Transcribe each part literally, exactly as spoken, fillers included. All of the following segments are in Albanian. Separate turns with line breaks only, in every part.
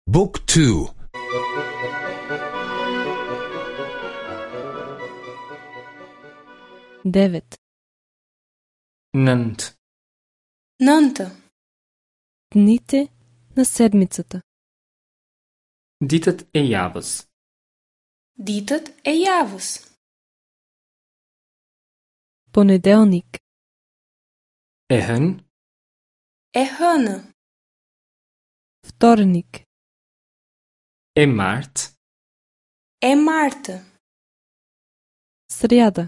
Book two.
Девет.
Nëntë.
Nëntë.
Дните на седмицата.
Ditët e javës.
Ditët e javës.
Понеделник.
E hënë.
E hënë.
Вторник.
E martë.
E martë.
Сряда.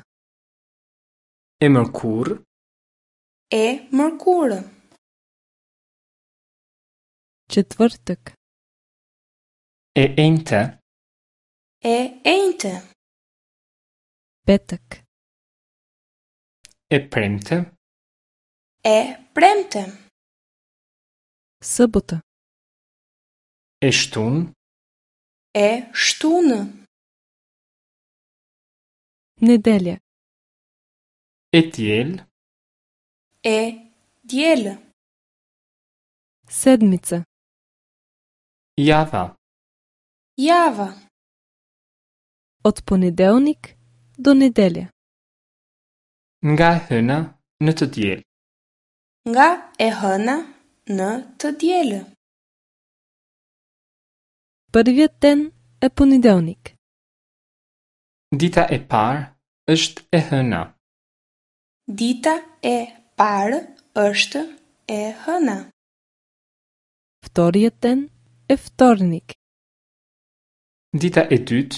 E mërkurë.
E mërkurë.
Четвъртък.
E enjte.
E enjte.
Петък.
E premte.
E premte.
Събота.
E shtunë.
E shtunë.
Неделя.
E diel.
E diel.
Седмица.
Java.
Java.
От понеделник до неделя.
Nga e hëna në të diel.
Nga e hëna në të diel.
Първият ден е понеделник.
Dita e parë është e hëna.
Dita e parë është e hëna.
Вторият ден е вторник.
Dita e dytë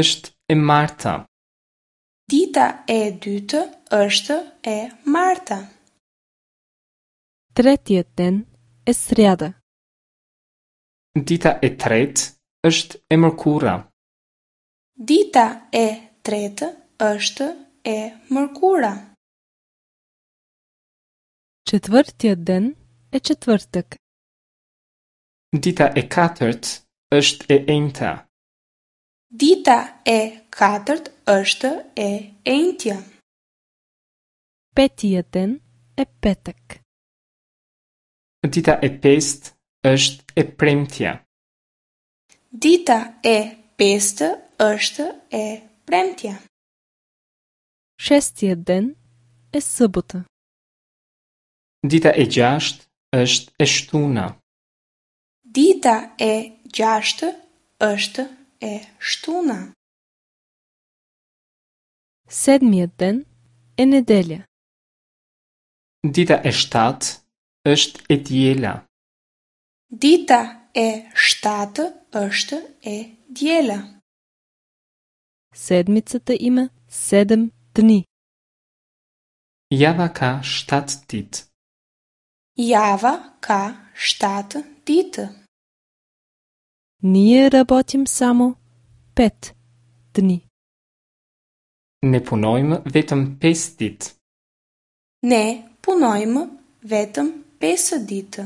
është e marta.
Dita e dytë është e marta.
Третият ден е сряда.
Dita e tretë është e mërkura.
Dita e tretë është e mërkura.
Четвъртият ден е четвъртък.
Dita e katërt është e enjta.
Dita e katërt është e enjtja.
Петият ден е петък.
Dita e pestë është e premtja.
Dita e pestë është e premtja.
Шестият ден е събота.
Dita e gjashtë është e shtuna.
Dita e gjashtë është e shtuna.
Седмият ден е неделя.
Dita e shtatë është e diela.
Dita e shtatë është e diela.
Седмицата има седем дни.
Java ka shtatë ditë.
Java ka shtatë ditë.
Ние работим само пет дни.
Ne punojmë vetëm pesë ditë.
Ne punojmë vetëm pesë ditë.